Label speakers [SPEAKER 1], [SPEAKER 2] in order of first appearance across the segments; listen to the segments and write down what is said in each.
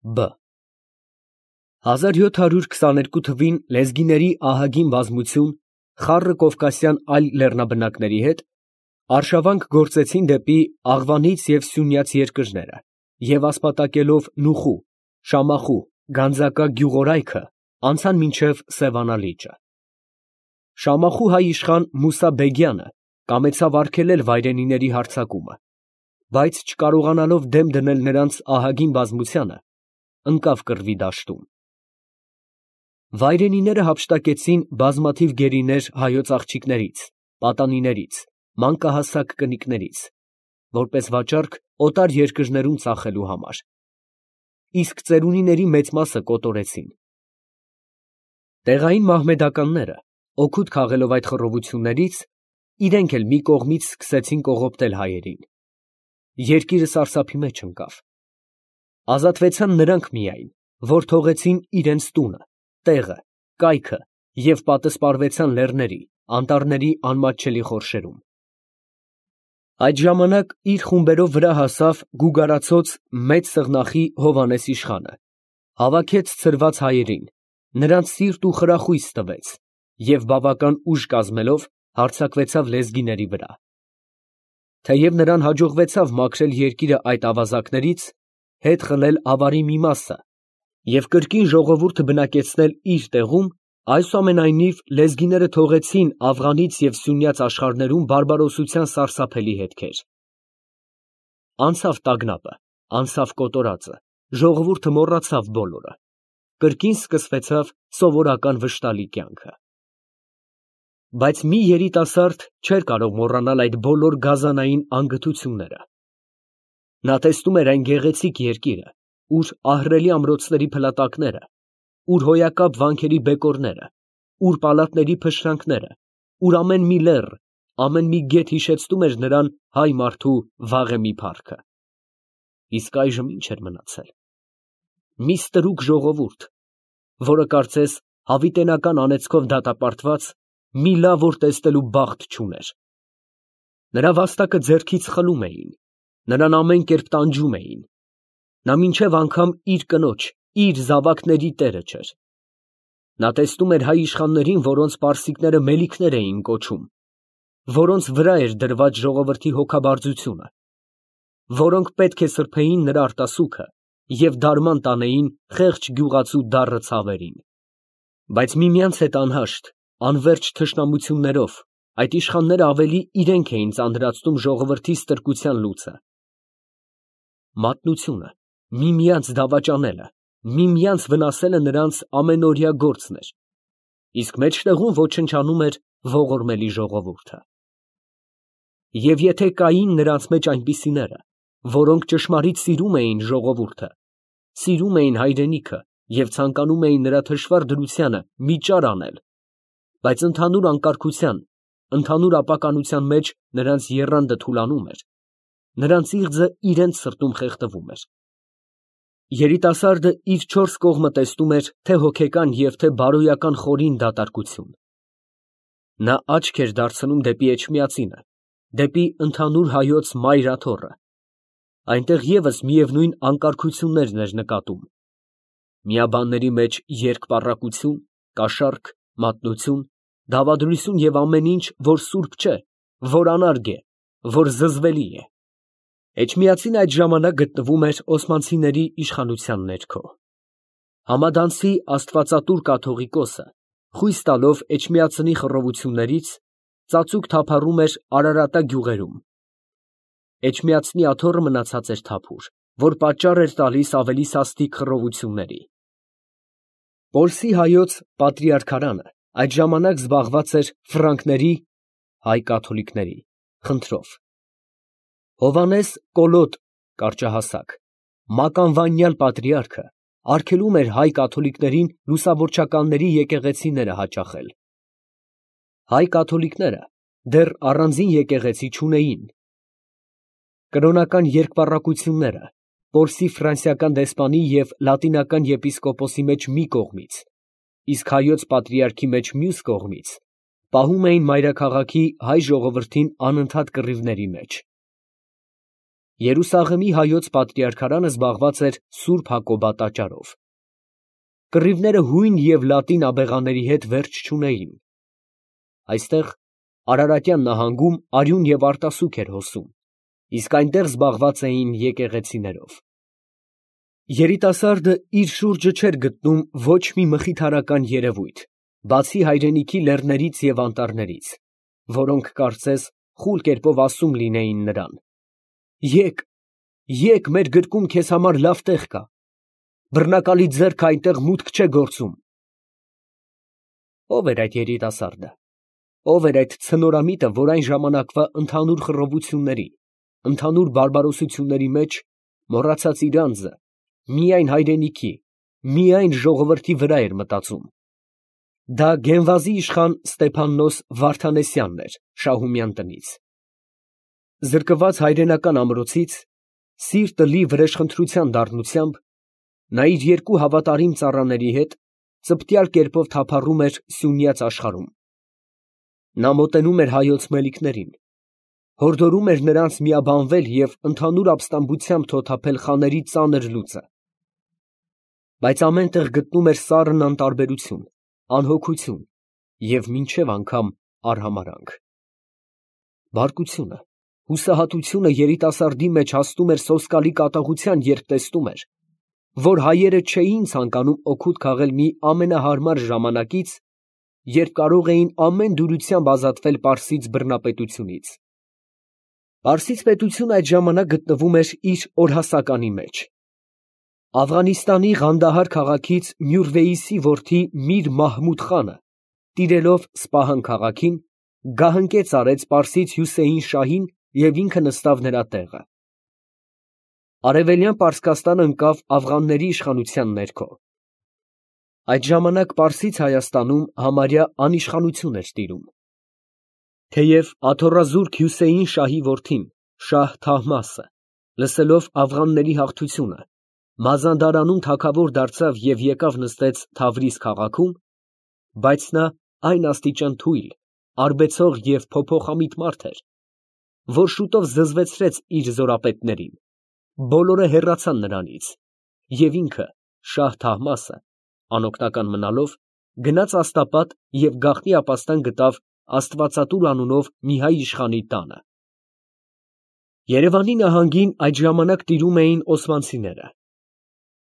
[SPEAKER 1] Բ 1722 թվին լեզգիների ահագին բազմություն խառը կովկասյան այլ լեռնաբնակների հետ արշավանք գործեցին դեպի Աղվանից և Սյունյաց երկրները և ասպատակելով Նուխու, Շամախու, Գանձակա գյուղորայքը անցան մինչև Սևանա լիճը։ Շամախու հայ իշխան Մուսա Բեգյանը կամեցավ արգելել վայրենիների հարձակումը, բայց չկարողանալով դեմ դնել նրանց ահագին բազմությանը, ընկավ կռվի դաշտում։ Վայրենիները հափշտակեցին բազմաթիվ գերիներ հայոց աղջիկներից, պատանիներից, մանկահասակ կնիկներից, որպես վաճառք օտար երկրներում ծախելու համար, իսկ ծերունիների մեծ մասը կոտորեցին։ Տեղային մահմեդականները, օգուտ քաղելով այդ խռովություններից, իրենք էլ մի կողմից սկսեցին կողոպտել հայերին։ Երկիրը սարսափի մեջ ընկավ։ Ազատվեցան նրանք միայն, որ թողեցին իրենց տունը, տեղը, կայքը և պատսպարվեցան լեռների, անտառների անմատչելի խորշերում։ Այդ ժամանակ իր խումբերով վրա հասավ գուգարացոց Մեծ Սղնախի Հովհաննես իշխանը, հավաքեց ցրված հայերին, նրանց սիրտ ու խրախույս տվեց և բավական ուժ կազմելով հարձակվեցավ լեզգիների վրա։ Թեև նրան հաջողվեցավ մաքրել երկիրը այդ ավազակներից, հետ խլել ավարի մի մասը և կրկին ժողովուրդը բնակեցնել իր տեղում, այսուամենայնիվ լեզգիները թողեցին Աֆղանից և Սյունյաց աշխարհներում բարբարոսության սարսափելի հետքեր։ Անցավ տագնապը, անցավ կոտորածը, ժողովուրդը մոռացավ բոլորը, կրկին սկսվեցավ սովորական վշտալի կյանքը։ Բայց մի երիտասարդ չէր կարող մոռանալ այդ բոլոր գազանային անգթությունները։ Նա տեսնում էր այն գեղեցիկ երկիրը, ուր ահռելի ամրոցների փլատակները, ուր հոյակապ վանքերի բեկորները, ուր պալատների փշրանքները, ուր ամեն մի լեռ, ամեն մի գետ հիշեցնում էր նրան հայ մարդու վաղեմի փառքը։ Իսկ այժմ ի՞նչ էր մնացել։ Մի ստրուկ ժողովուրդ, որը կարծես հավիտենական անեծքով դատապարտված, մի լավ օր տեսնելու բախտ չուներ։ Նրա վաստակը ձեռքից խլում էին, նրան ամեն կերպ տանջում էին։ Նա մինչև անգամ իր կնոջ, իր զավակների տերը չէր։ Նա տեսնում էր հայ իշխաններին, որոնց պարսիկները մելիքներ էին կոչում, որոնց վրա էր դրված ժողովրդի հոգաբարձությունը, որոնք պետք է սրբեին նրա արտասուքը և դարման տանեին խեղճ գյուղացու դառը ցավերին։ Բայց միմյանց հետ անհաշտ, անվերջ թշնամություններով այդ իշխանները ավելի իրենք էին ծանրացնում ժողովրդի ստրկության լուծը։ Մատնությունը, միմյանց դավաճանելը, միմյանց վնասելը նրանց ամենօրյա գործն էր, իսկ մեջտեղում ոչնչանում էր ողորմելի ժողովուրդը։ Եվ եթե կային նրանց մեջ այնպիսիները, որոնք ճշմարիտ սիրում էին ժողովուրդը, սիրում էին հայրենիքը և ցանկանում էին նրա թշվառ դրությանը մի ճար անել, բայց ընդհանուր անկարգության, ընդհանուր ապականության մեջ նրանց եռանդը թուլանում էր, նրանց իղձը իրենց սրտում խեղդվում էր։ Երիտասարդը իր չորս կողմը տեսնում էր թե հոգեկան և թե բարոյական խորին դատարկություն։ Նա աչք էր դարձնում դեպի Էջմիածինը, դեպի ընդհանուր հայոց մայր աթոռը։ Այնտեղ ևս միևնույն անկարգություններն էր նկատում։ Միաբանների մեջ երկպառակություն, կաշառք, մատնություն, դավադրություն և ամեն ինչ, որ սուրբ չէ, որ անարգ է, որ զզվելի է։ Էջմիածինը այդ ժամանակ գտնվում էր օսմանցիների իշխանության ներքո։ Համադանցի աստվածատուր կաթողիկոսը, խույս տալով Էջմիածնի խռովություններից, ծածուկ թափառում էր Արարատա գյուղերում։ Էջմիածնի աթոռը մնացած էր թափուր, որ պատճառ էր տալիս ավելի սաստիկ խռովությունների։ Պոլսի հայոց պատրիարքարանը այդ ժամանակ զբաղված էր ֆրանկների (հայ կաթոլիկների) խնդրով։ Հովհաննես Կոլոտ (կարճահասակ) մականվանյալ պատրիարքը արգելում էր հայ կաթոլիկներին լուսավորչականների եկեղեցիները հաճախել։ Հայ կաթոլիկները դեռ առանձին եկեղեցի չունեին։ Կրոնական երկպառակությունները Պոլսի ֆրանսիական դեսպանի և լատինական եպիսկոպոսի մեջ մի կողմից, իսկ հայոց պատրիարքի մեջ մյուս կողմից, պահում էին մայրաքաղաքի հայ ժողովրդին անընդհատ կռիվների մեջ։ Երուսաղեմի հայոց պատրիարքարանը զբաղված էր Սուրբ Հակոբատաճարով։ Կռիվները հույն և լատին աբեղաների հետ վերջ չունեին։ Այստեղ Արարատյան նահանգում արյուն և արտասուք էր հոսում, իսկ այնտեղ զբաղված էին եկեղեցիներով։ Երիտասարդը իր շուրջը չէր գտնում ոչ մի մխիթարական երևույթ, բացի հայրենիքի լեռներից և անտառներից, որոնք կարծես խուլ կերպով ասում լինեին նրան. «Եկ, եկ, մեր գրկում քեզ համար լավ տեղ կա, բռնակալի ձեռքը այնտեղ մուտք չէ գործում»։ Ո՞վ էր այդ երիտասարդը, ո՞վ էր այդ ցնորամիտը, որ այն ժամանակվա ընդհանուր խռովությունների, ընդհանուր բարբարոսությունների մեջ մոռացած իր անձը, միայն հայրենիքի, միայն ժողովրդի վրա էր մտածում։ Դա Գենվազի իշխան Ստեփաննոս Վարդանեսյանն էր Շահումյան տնից։ Զրկված հայրենական ամրոցից, սիրտը լի վրեժխնդրության դառնությամբ, նա իր երկու հավատարիմ ծառաների հետ ծպտյալ կերպով թափառում էր սյունյաց աշխարհում։ Նա մոտենում էր հայոց մելիքներին, հորդորում էր նրանց միաբանվել և ընդհանուր ապստամբությամբ թոթափել խաների ծանր լուծը։ Բայց ամեն տեղ գտնում էր սառն անտարբերություն, անհոգություն և մինչև անգամ արհամարհանք։ Բարկությունը, հուսահատությունը երիտասարդի մեջ հասնում էր սոսկալի կատաղության, երբ տեսնում էր, որ հայերը չէին ցանկանում օգուտ քաղել մի ամենահարմար ժամանակից, երբ կարող էին ամեն դյուրությամբ ազատվել պարսից բռնապետությունից։ Պարսից պետությունը այդ ժամանակ գտնվում էր իր օրհասականի մեջ։ Աֆղանիստանի Ղանդահար քաղաքից Մյուրվեյիսի որդի Միր Մահմուդ խանը, տիրելով Սպահան քաղաքին, գահընկեց արեց պարսից Հյուսեյն շահին և ինքը նստավ նրա տեղը։ Արևելյան Պարսկաստանը ընկավ աֆղանների իշխանության ներքո։ Այդ ժամանակ Պարսից Հայաստանում համարյա անիշխանություն էր տիրում։ Թեև աթոռազուրկ Հյուսեյն շահի որդին Շահ Թահմասը, լսելով աֆղանների հաղթությունը, Մազանդարանում թագավոր դարձավ և եկավ նստեց Թավրիզ քաղաքում, բայց նա այն աստիճան թույլ, արբեցող և փոփոխամիտ մարդ էր, որ շուտով զզվեցրեց իր զորապետներին, բոլորը հեռացան նրանից, և ինքը, Շահ Թահմասը, անօգնական մնալով, գնաց աստապատ և գաղտնի ապաստան գտավ Աստվածատուր անունով մի հայ իշխանի տանը։ Երևանի նահանգին այդ ժամանակ տիրում էին օսմանցիները։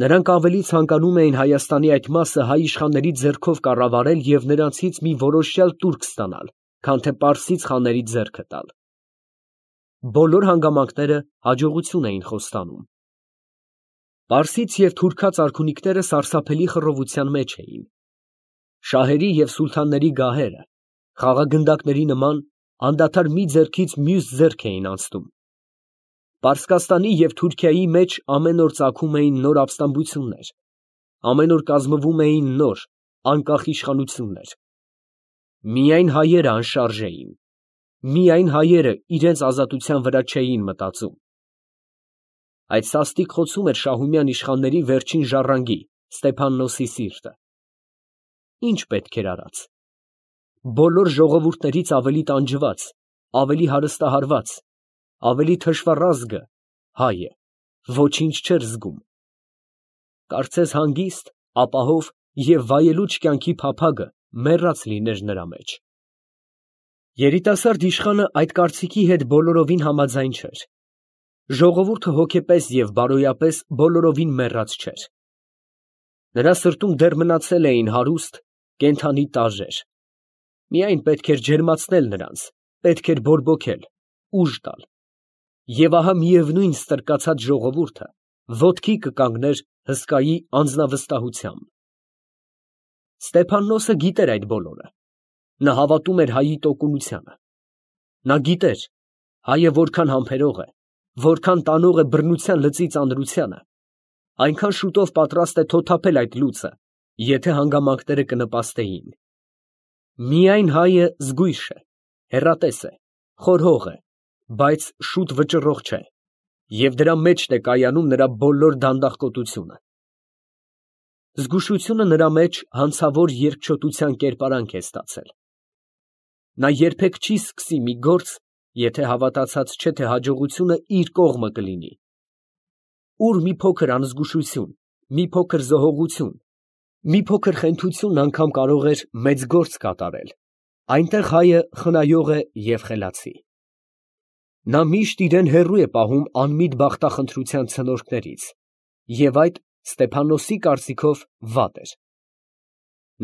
[SPEAKER 1] Նրանք ավելի ցանկանում էին Հայաստանի այդ մասը հայ իշխանների ձեռքով կառավարել և նրանցից մի որոշյալ տուրք ստանալ, քան թե պարսից խաների ձեռքը տալ։ Բոլոր հանգամանքները հաջողություն էին խոստանում։ Պարսից և թուրքաց արքունիքները սարսափելի խռովության մեջ էին։ Շահերի և սուլթանների գահերը, խաղագնդակների նման, անդադար մի ձեռքից մյուս ձեռք էին անցնում։ Պարսկաստանի և Թուրքիայի մեջ ամեն օր ծագում էին նոր ապստամբություններ, ամեն օր կազմվում էին նոր, անկախ իշխանություններ։ Միայն հայերը անշարժ էին, միայն հայերը իրենց ազատության վրա չէին մտածում։ Այդ սաստիկ խոցում էր Շահումյան իշխանների վերջին ժառանգի Ստեփաննոսի սիրտը։ Ինչ պետք էր արած։ Բոլոր ժողովուրդներից ավելի տանջված, ավելի հարստահարված, ավելի թշվառազգը հայ է, ոչինչ չէր զգում։ Կարծես հանգիստ, ապահով և վայելուչ կյանքի փափագը մեռած լիներ նրա մեջ։ Երիտասարդ իշխանը այդ կարծիքի հետ բոլորովին համաձայն չէր։ Ժողովուրդը հոգեպես և բարոյապես բոլորովին մեռած չէր։ Նրա սրտում դեռ մնացել էին հարուստ, կենդանի տարրեր։ Միայն պետք էր ջերմացնել նրանց, պետք էր բորբոքել, ուժ տալ։ Եվ ահա միևնույն ստրկացած ժողովուրդը ոտքի կկանգներ հսկայի անձնավստահությամբ։ Ստեփաննոսը գիտեր այդ բոլորը։ Նա հավատում էր հայի տոկունությանը։ Նա գիտեր, հայը որքան համբերող է, որքան տանող է բռնության լծի ծանրությանը, այնքան շուտով պատրաստ է թոթափել այդ լուծը, եթե հանգամանքները կնպաստեին։ Միայն հայը զգույշ է, հեռատես է, խորհող է, բայց շուտ վճռող չէ, և դրա մեջն է կայանում նրա բոլոր դանդաղկոտությունը։ Զգուշությունը նրա մեջ հանցավոր երկչոտության կերպարանք է ստացել։ Նա երբեք չի սկսի մի գործ, եթե հավատացած չէ, թե հաջողությունը իր կողմը կլինի։ Ուր մի փոքր անզգուշություն, մի փոքր զոհողություն, մի փոքր խենթություն անգամ կարող էր մեծ գործ կատարել, այնտեղ հայը խնայող է և խելացի։ Նա միշտ իրեն հեռու է պահում անմիտ բախտախնդրության ցնորքներից, և այդ Ստեփանոսի կարծիքով վատ էր։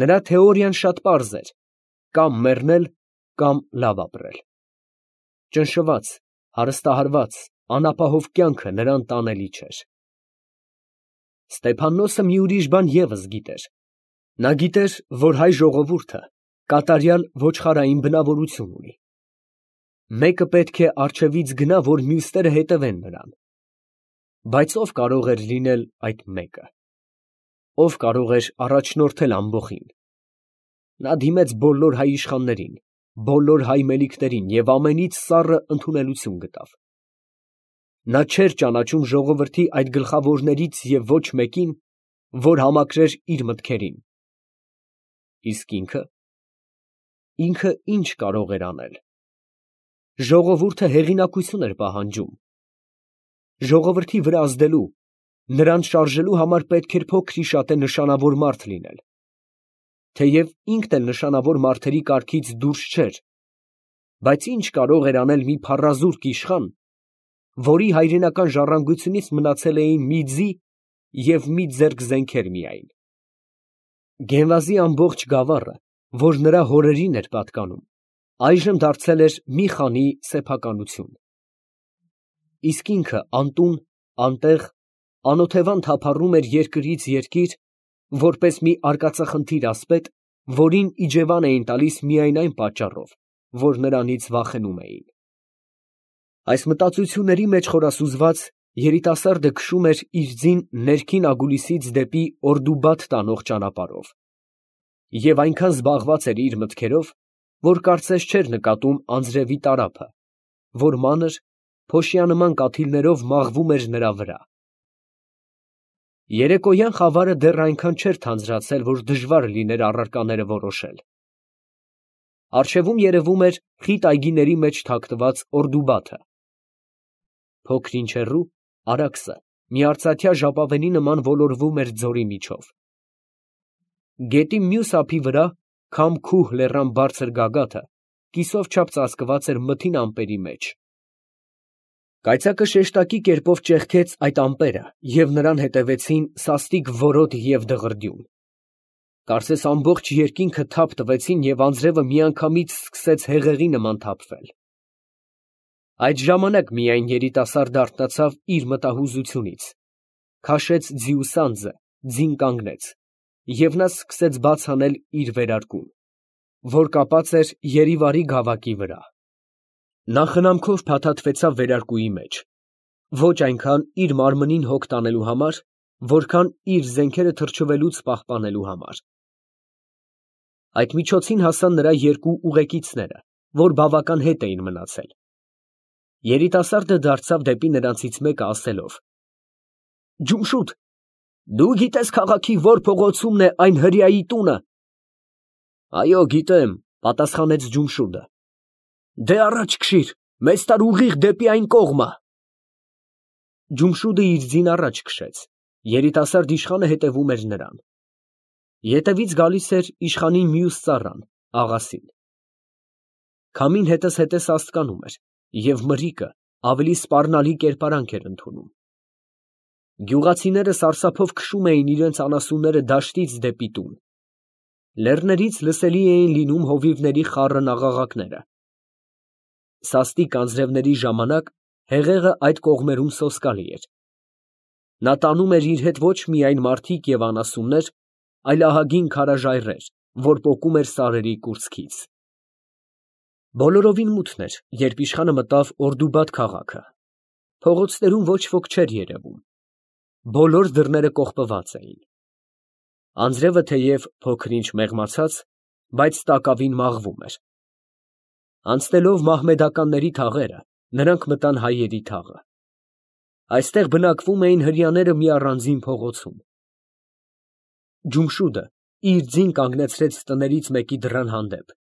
[SPEAKER 1] Նրա թեորիան շատ պարզ էր. կամ մեռնել, կամ լավ ապրել։ Ճնշված, հարստահարված, անապահով կյանքը նրան տանելի չէր։ Ստեփաննոսը մի ուրիշ բան ևս գիտեր. նա գիտեր, որ հայ ժողովուրդը կատարյալ ոչխարային բնավորություն ունի։ Մեկը պետք է առջևից գնա, որ մյուսները հետևեն նրան։ Բայց ով կարող էր լինել այդ մեկը։ Ով կարող էր առաջնորդել ամբոխին։ Նա դիմեց բոլոր հայ իշխաններին, բոլոր հայ մելիքներին և ամենից սառը ընդունելություն գտավ։ Նա չէր ճանաչում ժողովրդի այդ գլխավորներից և ոչ մեկին, որ համակրեր իր մտքերին։ Իսկ ինքը ինչ կարող էր անել։ Ժողովուրդը հեղինակություն էր պահանջում։ Ժողովրդի վրա ազդելու, նրան շարժելու համար պետք էր փոքր-ի-շատե նշանավոր մարդ լինել։ Թեև ինքն էլ նշանավոր մարդերի կարգից դուրս չէր, բայց ինչ կարող էր անել մի փառազուրկ իշխան, որի հայրենական ժառանգությունից մնացել էին մի ձի և մի ձեռք զենքեր միայն։ Գենվազի ամբողջ գավառը, որ նրա հորերին էր պատկանում, այժմ դարձել էր մի խանի սեփականություն։ Իսկ ինքը անտուն, անտեղ, անօթևան թափառում էր երկրից երկիր, որպես մի արկածախնդիր ասպետ, որին իջևան էին տալիս միայն այն պատճառով, որ նրանից վախենում էին։ Այս մտածությունների մեջ խորասուզված, երիտասարդը քշում էր իր ձին ներքին Ագուլիսից դեպի Օրդուբադ տանող ճանապարհով, և այնքան զբաղված էր իր մտքերով, որ կարծես չէր նկատում անձրևի տարափը, որ մանր, փոշիանման կաթիլներով մաղվում էր նրա վրա։ Երեկոյան խավարը դեռ այնքան չէր թանձրացել, որ դժվար լիներ առարկաները որոշել։ Առջևում երևում էր խիտ այգիների մեջ թաքնված Օրդուբաթը։ Փոքր-ինչ հեռու Արաքսը մի արծաթյա ժապավենի նման ոլորվում էր ձորի միջով։ Գետի մյուս ափի վրա քամ֊քուհ լեռան բարձր գագաթը կիսով չափ ծածկված էր մթին ամպերի մեջ։ Կայծակը շեշտակի կերպով ճեղքեց այդ ամպերը, և նրան հետևեցին սաստիկ որոտ և դղրդյուն։ Կարծես ամբողջ երկինքը թափ տվեցին և անձրևը միանգամից սկսեց հեղեղի նման թափվել։ Այդ ժամանակ միայն երիտասարդը արթնացավ իր մտահուզությունից, քաշեց ձիուսանձը, ձին կանգնեց, և նա սկսեց բաց անել իր վերարկուն, որ կապած էր երիվարի գավակի վրա։ Նա խնամքով փաթաթվեցավ վերարկուի մեջ, ոչ այնքան իր մարմնին հոգ տանելու համար, որքան իր զենքերը թրջվելուց պահպանելու համար։ Այդ միջոցին հասան նրա երկու ուղեկիցները, որ բավական հետ էին մնացել։ Երիտասարդը դարձավ դեպի նրանցից մեկը, ասելով. «Ջումշուդ, դու գիտես քաղաքի ո՞ր փողոցումն է այն հրեայի տունը»։ «Այո, գիտեմ», պատասխանեց Ջումշուդը։ «Դե առաջ քշիր, մեզ տար ուղիղ դեպի այն կողմը»։ Ջումշուդը իր ձին առաջ քշեց, երիտասարդ իշխանը հետևում էր նրան։ Ետևից գալիս էր իշխանի մյուս ծառան, աղասին։ Քամին հետզհետե սաստկանում էր, և մրրիկը ավելի սպառնալի կերպարանք էր ընդունում։ Գյուղացիները սարսափով քշում էին իրենց անասունները դաշտից դեպի տուն։ Լեռներից լսելի էին լինում հովիվների խառն աղաղակները։ Սաստիկ անձրևների ժամանակ հեղեղը այդ կողմերում սոսկալի էր։ Նա տանում էր իր հետ ոչ միայն մարդիկ և անասուններ, այլ ահագին քարաժայռեր, որ պոկում էր սարերի կուրծքից։ Բոլորովին մութն էր, երբ իշխանը մտավ Օրդուբադ քաղաքը։ Փողոցներում ոչ ոք չէր երևում։ Բոլոր դռները կողպված էին։ Անձրևը թեև փոքր-ինչ մեղմացած, բայց տակավին մաղվում էր։ Անցնելով մահմեդականների թաղերը, նրանք մտան հայերի թաղը։ Այստեղ բնակվում էին հրեաները մի առանձին փողոցում։ Ջումշուդը իր ձին կանգնեցրեց տներից մեկի դռան հանդեպ,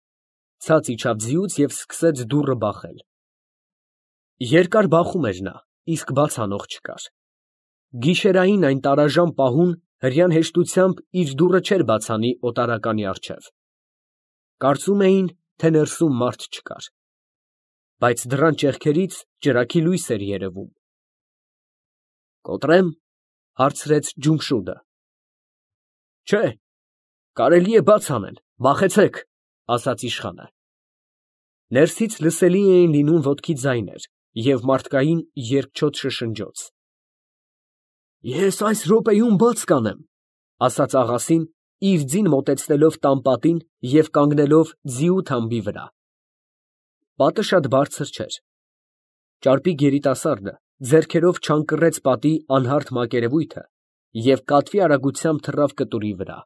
[SPEAKER 1] ցած իջավ ձիուց և սկսեց դուռը բախել։ Երկար բախում էր նա, իսկ բաց անող չկար։ Գիշերային այն տարաժան պահուն հրեան հեշտությամբ իր դուռը չէր բաց անի օտարականի առջև։ Կարծում էին, թե ներսում մարդ չկար, բայց դռան ճեղքերից ճրագի լույս էր երևում։ «Կոտրեմ», հարցրեց Ջումշուդը։ «Չէ, կարելի է բաց անել, վախեցեք», ասաց իշխանը։ Ներսից լսելի էին լինում ոտքի ձայներ և մարդկային երկչոտ շշնջոց։ «Ես այս րոպեում բաց կանեմ», ասաց աղասին, իր ձին մոտեցնելով տան պատին և կանգնելով ձիու թամբի վրա։ Պատը շատ բարձր չէր։ Ճարպիկ երիտասարդը ձեռքերով չանկռեց պատի անհարթ մակերևույթը և կատվի արագությամբ թռավ կտուրի վրա։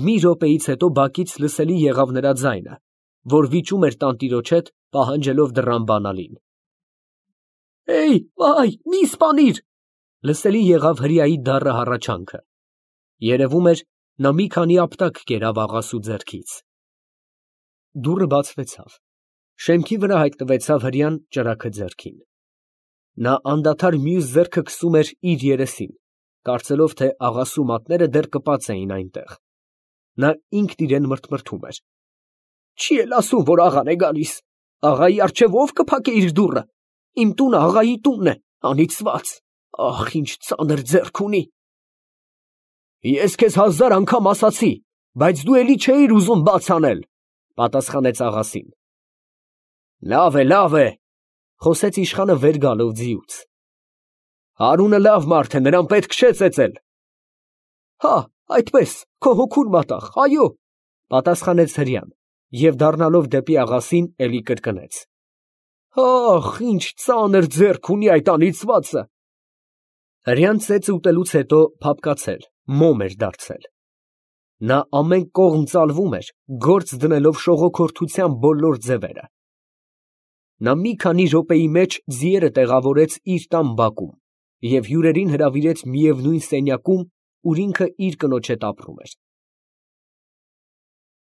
[SPEAKER 1] Մի րոպեից հետո բակից լսելի եղավ նրա ձայնը, որ վիճում էր տանտիրոջ հետ, պահանջելով դռան բանալին։ «Էյ, վայ, մի սպանիր», լսելի եղավ հրեայի դառը հառաչանքը։ Երևում էր, նա մի քանի ապտակ կերավ աղասու ձեռքից։ Դուռը բացվեցավ։ Շեմքի վրա հայտնվեցավ հրեան ճրագը ձեռքին։ Նա անդադար մյուս ձեռքը քսում էր իր երեսին, կարծելով, թե աղասու մատները դեռ կպած էին այնտեղ։ Նա ինքն իրան մրթմրթում էր. «Չի էլ ասում, որ աղան է գալիս։ Աղայի առջև ո՞վ կփակե իր դուռը։ Իմ տունը աղայի տունն է, անիծված, ախ, ինչ ծանր ձեռք ունի»։ «Ես քեզ 1000 անգամ ասացի, բայց դու էլի չէիր ուզում բաց անել», պատասխանեց աղասին։ Լավ է, խոսեց իշխանը վեր գալով ձիուց։ Հարունը լավ մարդ է, նրան պետք չէ ծեծել։ Հա, այդպես, քո հոգուն մատաղ, այո, պատասխանեց հրեան և դառնալով դեպի աղասին էլի կրկնեց. Ախ, ինչ ծանր ձեռք ունի այդ անիծվածը։ Հրեան ծեծը ուտելուց հետո փափկացել, մոմ էր դարձել։ Նա ամեն կողմ ծալվում էր, գործ դնելով շողոքորթության բոլոր ձևերը։ Նա մի քանի րոպեի մեջ ձիերը տեղավորեց իր տան բակում և հյուրերին հրավիրեց միևնույն սենյակում, ուր ինքը իր կնոջ հետ ապրում էր։